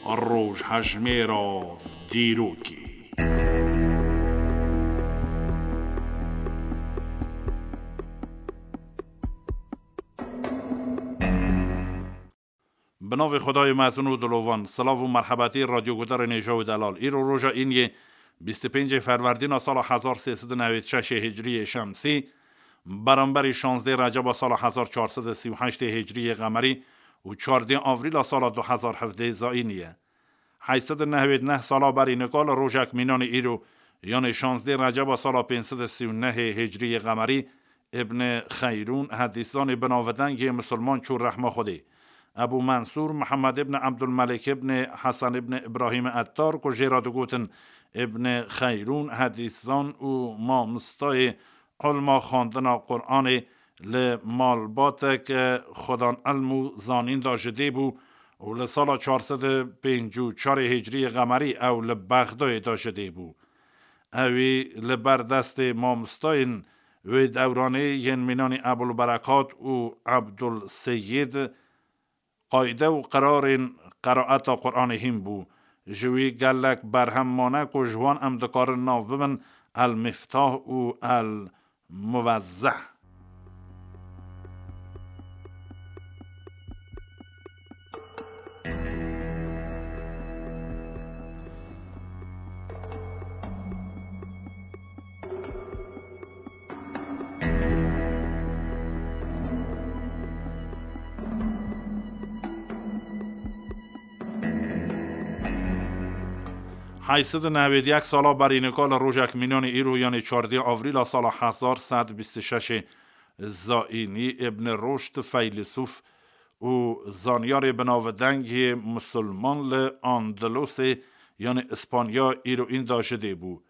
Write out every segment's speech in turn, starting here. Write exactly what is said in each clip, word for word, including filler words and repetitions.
Rojhejmêra dîrokê. Bi navê Xwedayê mezin û dilovan, silav û merhebetî radyogudarên hêja û delal. Îro roja îniyê bîst û pêncê ferwerdîna sala hezar sê sed û newêd şeşê hicriyê şemsî, beramberî şazdê receba sala hezar çar sed û sî û heştê hicriyê qemerî û çardê avrîla sala du hezar hevdê zayînî ye. Heyt sed û nehwêd neh sala berî nika li rojek mînanê îro, yanê şazdê receba sala pênc sed û sî û nehê hicriyê qemerî, Îbn Xeyrûn, hedîszanê binavdengê misilman çû rehma Xwedê. Ebû Mensûr Mihemed îbn Ebdulmelîk îbn Hesen îbn Îbrahîm Ettar, ku jê re digotin Îbn Xeyrûn, hedîszan û mamostayê ilma xwendina Quranê li malbatek xwedan ilm û zanîn de ji dê bû û li sala çar sed û pêncî û çarê hicriyê qemerî ew li Bexdayê de ji dê bû. Ewî li ber destê mamostayên wê dewranê yên mînanî Ebul Berekat û Ebdul Seyîd qayde û qirarên qeraeta Quranê hîn bû. Ji wî gelek berhem mane ku ji wan em dikarin nav bibin El Miftah û El Muvezzeh. Heyt sed û nehwêd yek sala berî nika li rojek mînanê îro, yanê çardê avrîla sala hezar sed bîst û şeşê zayînî, Îbn Roşd, feylesûf û zanyarê binavdeng yê misilman li Andalusê, yanê Îspanya îro înda ji dê bû.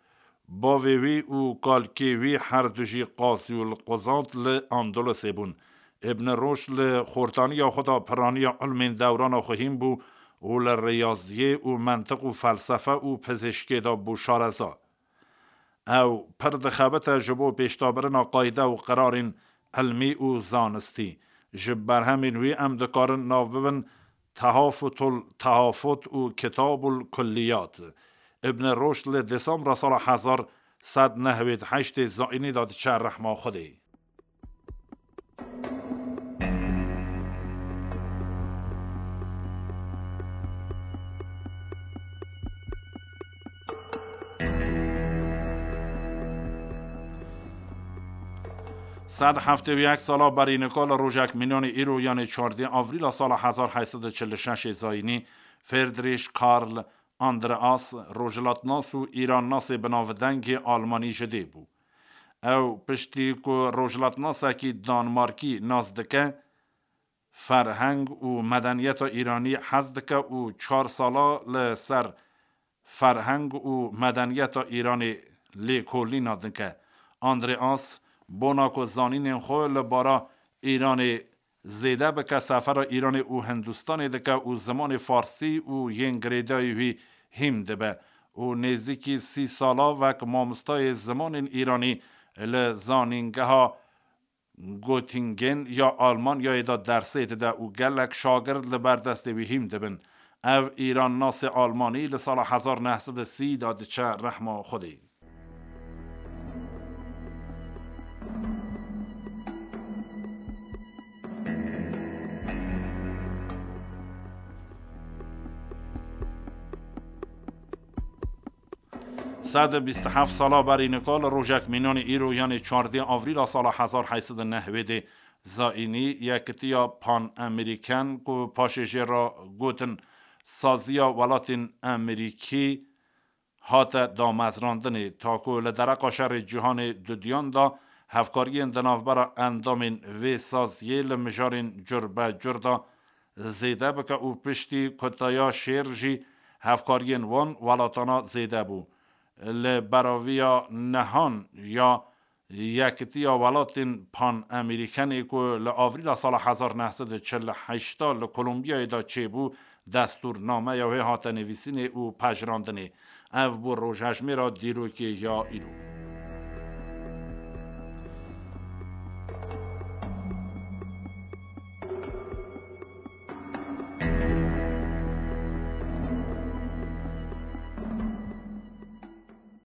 Bavê wî û kalkê wî her du jî qazî û quzat li Andalusê bûn. Îbn Roşd li xortaniya xwe de piraniya ilmên dewrana xwe hîn bû û li riyaziyê û mentiq û felsefe û pizîşkê de bû şareza. Ew pir dixebite ji bo pêşdabirina qayde û qirarên ilmî û zanistî. Ji berhemên wî em dikarin nav bibin Tehafutul Tehafut û Kitabul Kulliyat. Îbn Roşd li Desembra sala hezar sed nehwêd heştê zayînî de diçe rehma Xwedê. Sed heftê û yek sala berî nika li rojek mînanê îro, yanê çardê avrîla sala hezar heyt sed û çil û şeşê zayînî, Friedrich Karl Andreas, rojhilatnas û îrannasê binavdengê almanî ji dê bû. Ew piştî ku rojhilatnasekî Danmarkî nas dike, ferheng û medeniyeta Îranî hez dike û çar sala li ser ferheng û medeniyeta Îranê lêkolîna dike. Andreas, bona ku zanînên xwe li bara Îranê zêde bike, sefera Îranê û Hindistanê dike û zimanê farsî û yên girêdayî wî hîm dibe û nêzîkî sî sala wek mamostayê zimanên Îranî li zanîngeha Göttingen ya Almanyayê de dersê dide û gelek şagird li ber destê wî hîm dibin. Ev Îrannasê Almanî li sala hezar neh sed û sî de diçe rehma Xwedê. Sed û bîst û heft sala berî nika li rojek mînanê îro, yanê çardê avrîla sala hezar heyt sed û nehwêdê zayînî, Yekitiya Pan-Amerîken ku paşê jê re gotin Saziya Welatên Amerîkî, hate damezrandinê. Ta ku li dereqa şerê cîhanê dudiyan de hevkariyên di navbera endamên vê saziyê li mijarên cur be cur de zêde bike û piştî kutaya şêr jî hevkariyên wan welatana zêde bû. Li beraviya nehan ya Yekitiya Welatên Pan-Amerîkenê ku li avrîla sala hezar neh sed û çil û heşt li Kolombiyayê de çêbû, destûrnameya wê hate nivîsînê û pejirandinê. Ev bû rojhejmêra dîrokê ya îro.